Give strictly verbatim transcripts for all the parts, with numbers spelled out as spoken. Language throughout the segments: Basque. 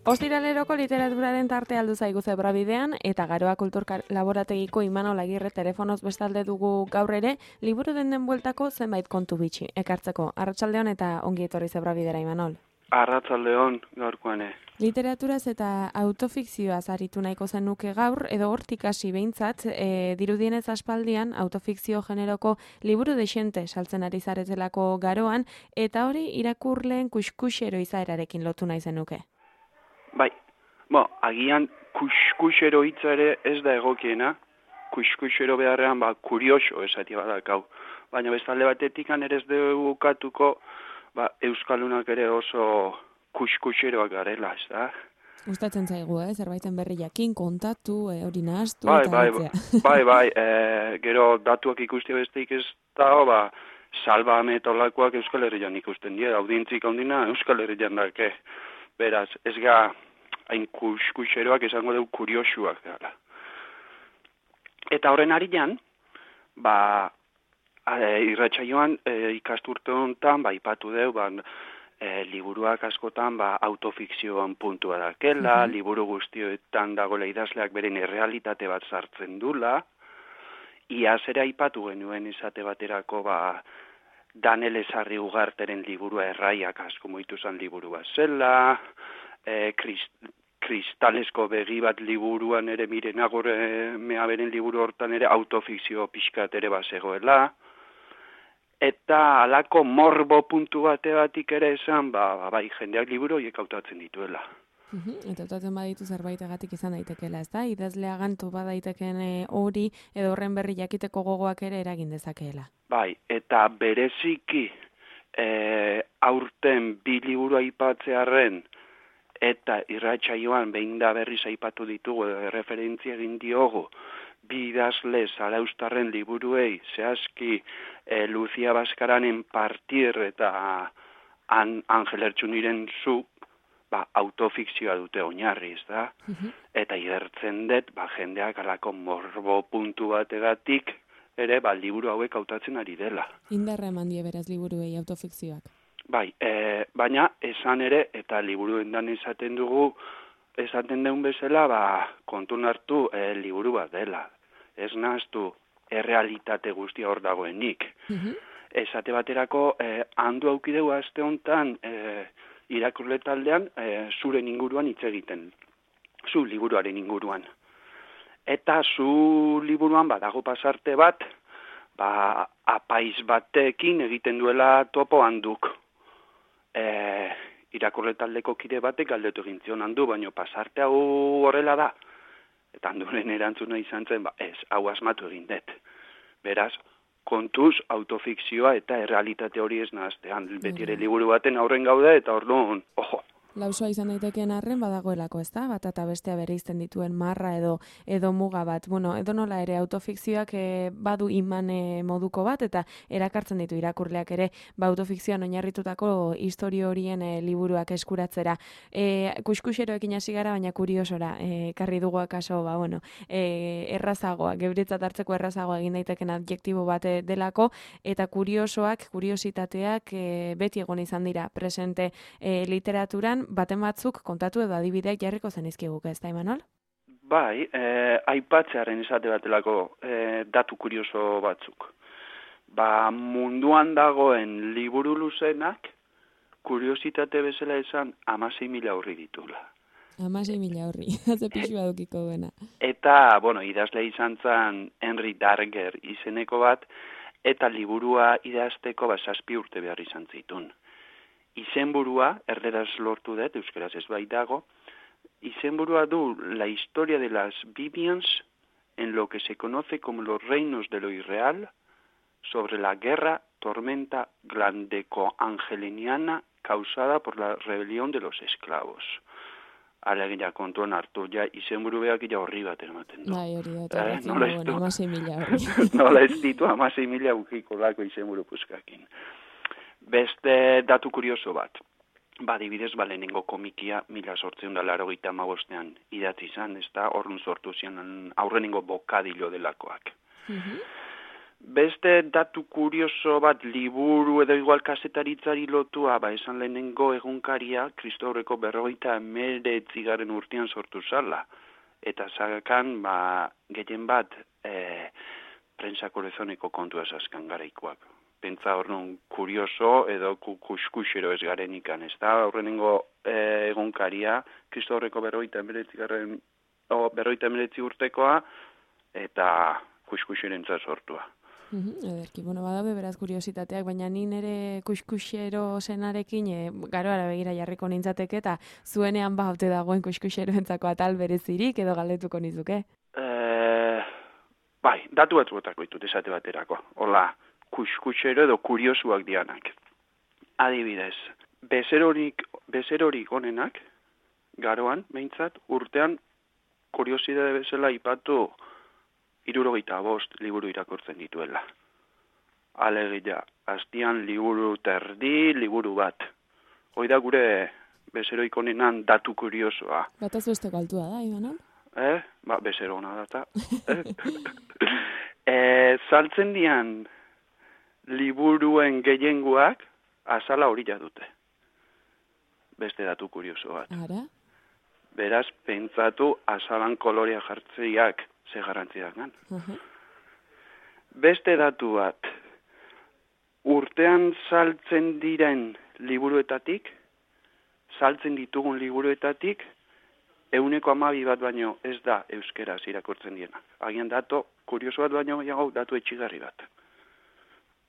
Ostiraleroko literaturaren tarte aldu zaigu zebrabidean eta Garoa Kultur Laborategiko Imanol Agirre telefonoz bestalde dugu gaur ere, liburu denden bueltako zenbait kontu bitxi ekartzeko. Arratsaldeon eta ongi etorri zebrabidera, Imanol. Arratsaldeon gaurkoane. Literaturaz eta autofikzioaz aritu nahiko zenuke gaur, edo hortik hasi behintzat, e, dirudienez aspaldian autofikzio generoko liburu dexente saltzen ari zaretelako Garoan, eta hori irakurleen kuskusero izaerarekin lotu nahi zenuke. Bai, bo, agian kuskusero hitza ere ez da egokiena, kuskusero beharrean ba, kurioso esati badakau. Baina bestalde batetik ere ez dugu katuko ba, Euskaldunak ere oso kuskuseroak garela, ez da? Gustatzen zaigu, eh? Zerbaiten berri jakin, kontatu, eh, hori nahaztu bai, eta bai, batzea. bai, bai, e, gero datuak ikusti besteik ez dago, ba, Salva Ametolakoak Euskal Herrian ikusten dira, audientzik handina Euskal Herrian dake. Beraz, ez ga hain kuskuseroak esango dugu kuriosuak gara. Eta horren arian, ba, e, irratsaioan e, ikasturte honetan, ba, ipatu dugu, ba, e, liburuak askotan, ba, autofikzioan puntua dakela, mm-hmm. liburu guztioetan dagoela idazleak beren errealitate bat sartzen dula, iaz ere aipatu genuen izate baterako, ba, Daniel Ezarri Ugarteren liburua Erraiak asko muitu zan liburu bat zela, e, krist, kristalesko begi bat liburuan ere Miren Agorre meaberen liburu hortan ere autofikzio pixkat ere bazegoela, eta halako morbo puntu bate batik ere esan, ba, ba, bai jendeak liburu horiek hautatzen dituela. Uhum, eta hautatzen baditu zerbaitegatik izan daitekela, ez da? Idazlea gantu badaiteken hori edo horren berri jakiteko gogoak ere eragin dezakeela. Bai, eta bereziki e, aurten bi liburu aipatzearren eta irratsaioan behin da berriz aipatu ditugu referentzia egin diogu bi idazle zarauztarren liburuei zehazki e, Lucia Baskaranen Partir eta An, Angel Ertsuniren Zu, ba, autofikzioa dute oinarri, ez da? Uh-huh. Eta igertzen dut, ba, jendeak alako morbo puntu bategatik ere, ba, liburu hauek hautatzen ari dela. Indarra eman die beraz liburuei autofikzioak. Bai, e, baina esan ere, eta liburuendan esaten dugu, esaten deun bezala, ba, kontun hartu e, liburu bat dela. Ez nahaztu errealitate guztia hor dagoenik. Uh-huh. Esate baterako, e, handu aukideu aste honetan, e, irakurle taldean e, zuren inguruan hitz egiten. Zu liburuaren inguruan. Eta zu liburuan badago pasarte bat, ba, apaiz batekin egiten duela topo handuk. E, irakurle taldeko kide batek galdetu egin zion handu, baino pasarte hau horrela da. Eta handuren erantzuna izan zen, ba, ez, hau asmatu egin dut. Beraz, kontuz, autofikzioa eta errealitate hori ez nahaztean. Beti ere liburu baten aurren gaude eta orduan, ojo. Lausoa izan daitekeen arren badagoelako, ezta? Bat eta bestea bereizten dituen marra edo edo muga bat. Bueno, edo nola ere autofikzioak e, badu iman e, moduko bat eta erakartzen ditu irakurleak ere ba autofikzioan oinarritutako istorio horien e, liburuak eskuratzera. E, kuskuseroekin hasi gara, baina kuriosora e, karri dugu akaso, ba bueno, e, errazagoa, gebretzat hartzeko errazagoa egin daiteken adjektibo bat delako eta kuriosoak, kuriositateak e, beti egon izan dira presente e, literaturan. Baten batzuk kontatu edo adibideak jarriko zenizkiguke, ez da, Imanol? Bai, eh, aipatzearen esate batelako eh, datu kurioso batzuk. Ba, munduan dagoen liburu luzenak, kuriositate bezala esan, amasei mila horri ditula. Amasei mila horri, haze pixu badukiko duena. Eta, bueno, idazle izan zen Henry Darger izeneko bat, eta liburua idazteko ba, zazpi urte behar izan zitun. Izenburua, erderaz lortu dut, euskaraz ez bai dago, izenburua du la historia de las Biblias en lo que se conoce como los reinos de lo irreal sobre la guerra tormenta glandeco-angeliniana causada por la rebelión de los esclavos. Alegia kontuan hartu, ja izenburu behak ja horri bat ematen du. Bai, hori da, eh, nola ez du, amasei mila horri. Nola ez ditu amasei mila ukiko lako izenburu puskakin. Beste datu kurioso bat, ba, dibidez, ba, lehenengo komikia mila sortzeun da larogeita hamabostean idatzi izan, ez da, horren sortu zian aurrenengo bokadilo delakoak. Uh-huh. Beste datu kurioso bat liburu edo igual kasetaritzari lotua, ba esan lehenengo egunkaria Kristaurreko berrogeita hemeretzigarren urtean sortu zala. Eta zakan, ba, gehien bat, e, prensa kolezoneko kontua zaskan garaikoak. Pentsa horren kurioso edo kuskusero ez garen ikan, ez da? Horrenengo e, egunkaria Kristaurreko berrogeita hemeretzigarren, o, berrogeita hemeretzi urtekoa, eta kuskuserentza sortua. Uhum, ederki, bueno, badaude beraz kuriositateak, baina ni nere kuskusero senarekin e, garoara begira jarriko nintzateke eta zuenean ba haute dagoen kuskuseroentzako atal berezirik edo galdetuko nizuke. E, bai, datu batzuetako ditut esate baterako. Hola, kuskusero edo kuriosuak dianak. Adibidez, bezerorik, bezerorik onenak, garoan, behintzat, urtean kuriosidade bezala ipatu hirurogeita bost liburu irakurtzen dituela. Alegia, astian liburu terdi, liburu bat. Hoi da gure bezeroik onenan datu kuriosoa. Bataz beste galtua da, Iban? Eh? Ba, bezero hona data. eh, saltzen dian liburuen gehiengoak azala horila dute. Beste datu kurioso bat. Ara? Beraz, pentsatu azalan kolorea jartzeiak ze garrantziak gan. Uh-huh. Beste datu bat, urtean saltzen diren liburuetatik, saltzen ditugun liburuetatik, euneko hamabi bat baino ez da euskeraz irakurtzen diena. Agian datu kurioso bat baino gehiago datu etxigarri bat.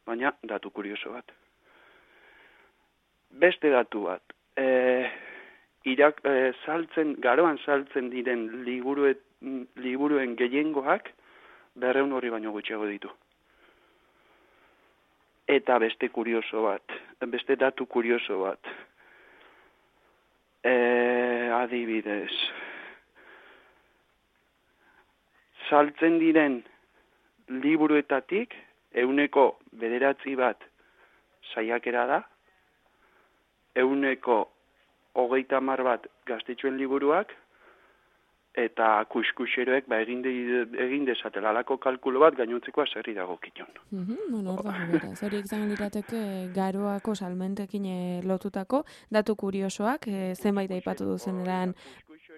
Baina datu kurioso bat. Beste datu bat, e, irak, e, saltzen, garoan saltzen diren liburuet, liburuen gehiengoak berreun horri baino gutxiago ditu. Eta beste kurioso bat, beste datu kurioso bat, e, adibidez, saltzen diren liburuetatik euneko bederatzi bat saiakera da, euneko hogeita hamar bat gaztetxoen liburuak, eta kuskuseroek ba, egin, de, egin dezatela alako kalkulo bat gainontzeko zerri dago kiton. Mm-hmm, bueno, hor dago beraz. Hori izan lirateke garoako salmentekin lotutako datu kuriosoak, e, zenbait aipatu duzen eran...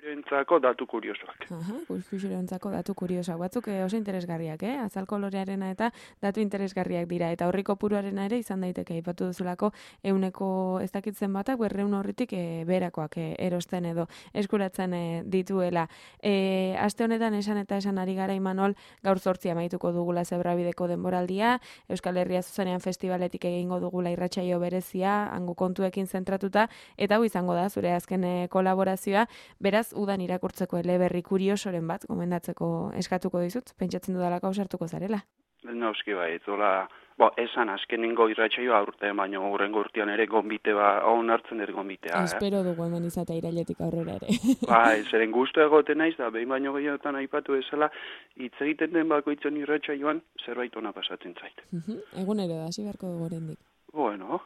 Kuskuseroentzako datu kuriosoak. Aha, kuskuseroentzako datu kuriosoak. Batzuk e, oso interesgarriak, eh? Azal kolorearena eta datu interesgarriak dira. Eta horri kopuruarena ere izan daiteke aipatu duzulako euneko ez dakitzen batak berreun horritik e, berakoak e, erosten edo eskuratzen e, dituela. E, aste honetan esan eta esan ari gara Imanol, gaur zortzia amaituko dugula Zebrabideko denboraldia, Euskal Herria zuzenean festivaletik egingo dugula irratsaio berezia, hango kontuekin zentratuta, eta hau izango da zure azken e, kolaborazioa, beraz udan irakurtzeko eleberri kuriosoren bat gomendatzeko eskatuko dizut, pentsatzen dudalako ausartuko zarela. Nauski bai, zola, bo, esan azkenengo irratsaioa aurte, baina horrengo urtean ere gonbite ba, hon hartzen ere gonbitea. Espero eh? dugu hemen izatea irailetik aurrera ere. Bai, zeren gustu egoten naiz, da behin baino gehiotan aipatu bezala, hitz egiten den bakoitzen irratsaioan zerbait ona pasatzen zait. Uh-huh. Egunero da, hasi beharko dugu oraindik. Bueno,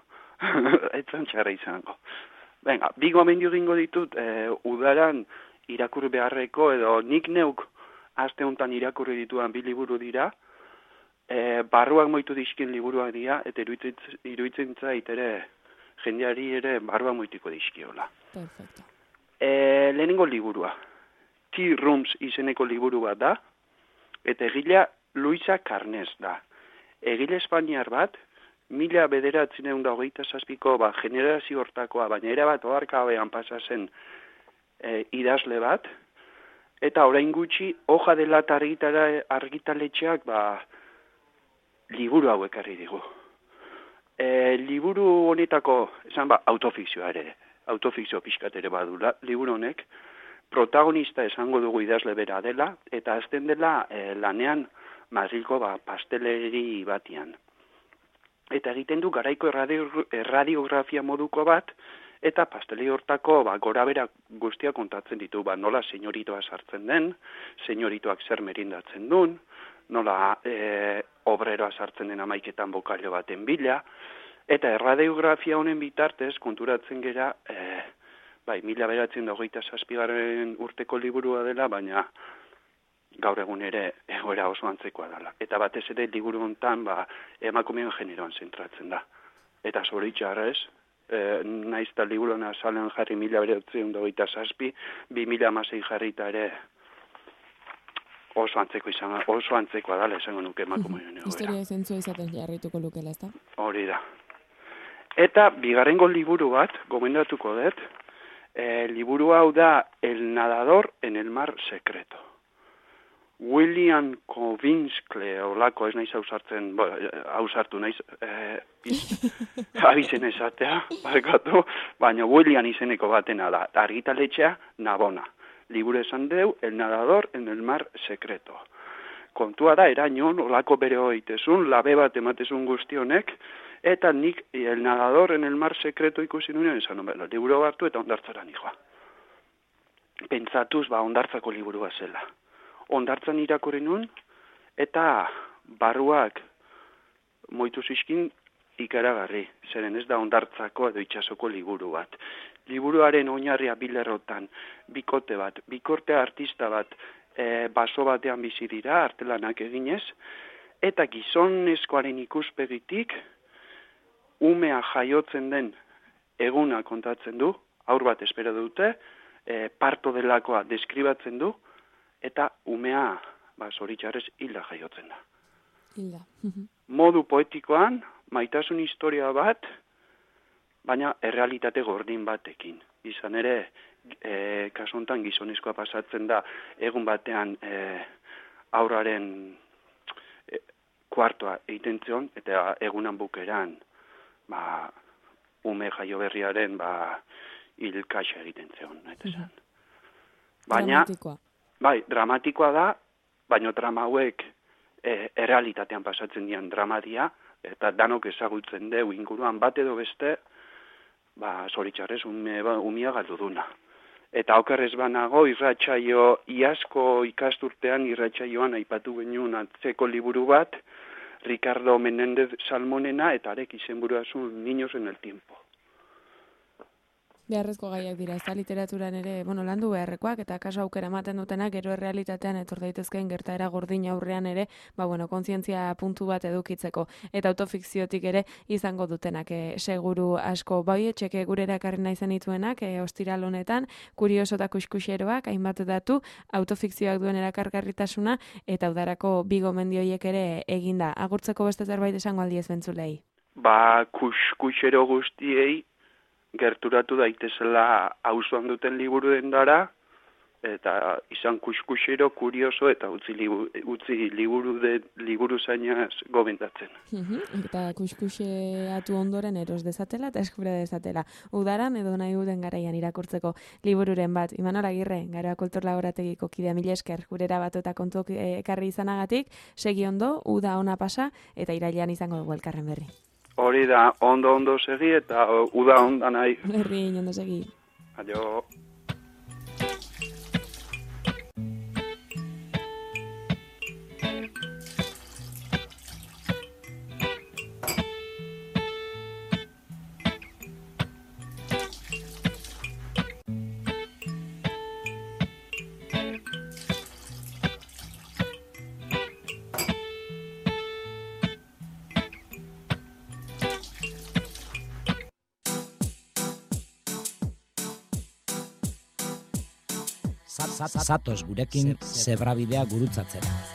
etzan txarra izango. Venga, bi gomendio egingo ditut, e, udaran irakurri beharreko, edo nik neuk aste honetan irakurri dituan bi liburu dira, e, barruak moitu dizkin liburuak dira, eta iruditzen, iruditzen zait ere, jendeari ere barruak moitiko dizkiola. Perfecto. E, lehenengo liburua, Tea Rooms izeneko liburu bat da, eta egilea Luisa Carnes da. Egile espainiar bat, mila bederatzen egun da hogeita zazpiko ba, generazio hortakoa, baina era bat oharkabean pasa zen e, idazle bat, eta orain gutxi hoja dela argitara argitaletxeak ba, liburu hauek harri digu. E, liburu honetako, esan ba, autofikzioa ere, autofikzio pixkat ere badula, liburu honek, protagonista esango dugu idazle bera dela, eta azten dela e, lanean Madrilko ba, pasteleri batian. Eta egiten du garaiko erradio, erradiografia moduko bat, eta pasteli hortako ba, gora bera guztia kontatzen ditu, ba, nola senyoritoa sartzen den, senyoritoak zer merindatzen duen, nola e, obreroa sartzen den amaiketan bokailo baten bila, eta erradiografia honen bitartez konturatzen gera, e, bai, mila beratzen da hogeita zazpigarren urteko liburua dela, baina gaur egun ere egoera oso antzekoa dela. Eta batez ere liburu hontan ba, emakumeen generoan zentratzen da. Eta zoritxarrez, e, naiz eta liburuen azalean jarri mila bederatziehun eta hogeita zazpi, bi mila hamasei jarrita ere oso antzeko izan, oso antzekoa dela esango nuke emakumeen egoera. Historia zentzua izaten jarrituko lukela, ezta? Hori da. Eta bigarrengo liburu bat, gomendatuko dut, e, liburu hau da El nadador en el mar secreto. William Kovinskle, olako ez naiz hausartzen, bo, hausartu naiz, e, abizen esatea, barkatu, baina William izeneko batena da, argitaletxea Navona. Liburu esan deu, El nadador en el mar secreto. Kontua da, erainon, olako bere hoitezun, labe bat ematezun guztionek, eta nik El nadador en el mar secreto ikusi nuen, esan nuen, liburu hartu eta ondartzara nijoa. Pentsatuz, ba, ondartzako liburua zela. Ondartzan irakurri nun, eta barruak moitu zizkin ikaragarri, zeren ez da ondartzako edo itxasoko liburu bat. Liburuaren oinarria bilerrotan, bikote bat, bikorte artista bat, e, baso batean bizi dira, artelanak eginez, eta gizonezkoaren ikuspegitik, umea jaiotzen den eguna kontatzen du, aur bat espero dute, e, parto delakoa deskribatzen du, eta umea, ba, zoritxarrez, hilda jaiotzen da. Hilda. Modu poetikoan, maitasun historia bat, baina errealitate gordin batekin. Izan ere, e, kasu honetan gizonezkoa pasatzen da, egun batean e, aurraren e, kuartoa egiten zion, eta egunan bukeran, ba, ume jaio berriaren, ba, hilkaxa egiten zion. Mhm. Baina, dramatikoa. Bai, dramatikoa da, baina drama hauek e, errealitatean pasatzen dian dramadia, eta danok ezagutzen deu inguruan bat edo beste, ba, zoritxarrez, ume, ba, umia galdu duna. Eta okerrez banago, irratsaio, iazko ikasturtean irratsaioan aipatu genuen atzeko liburu bat, Ricardo Menéndez Salmonena, eta arek izenburuazun Niños en el tiempo. Beharrezko gaiak dira, ez da literaturan ere, bueno, landu beharrekoak, eta kaso aukera ematen dutenak, gero errealitatean etor daitezkeen gertaera gordin aurrean ere, ba, bueno, kontzientzia puntu bat edukitzeko, eta autofikziotik ere izango dutenak, e, seguru asko. Bai, etxeke gure erakarri nahi zenituenak, e, ostiral honetan, kurioso eta kuskuxeroak, hainbat datu, autofikzioak duen erakargarritasuna, eta udarako bi gomendioiek ere eginda. Agurtzeko beste zerbait esango aldiez bentzulei? Ba, kuskuxero guztiei, gerturatu daitezela auzoan duten liburu dendara, eta izan kuskusero, kurioso, eta utzi, libu, utzi liburu, de, liburu zainaz gomendatzen. Uh-huh. Eta kuskuseatu ondoren eros dezatela eta eskubra dezatela. Udaran edo nahi duten garaian irakurtzeko libururen bat. Imanol Agirre, Garoa Kultur Laborategiko kidea, mila esker, gurera batu eta kontuok ekarri izanagatik, segi ondo, uda ona pasa, eta irailean izango dugu elkarren berri. Hori da, ondo-ondo segi eta uda onda nahi. Berri, ondo segi. Adio. Zatoz gurekin zebrabidea gurutzatzera.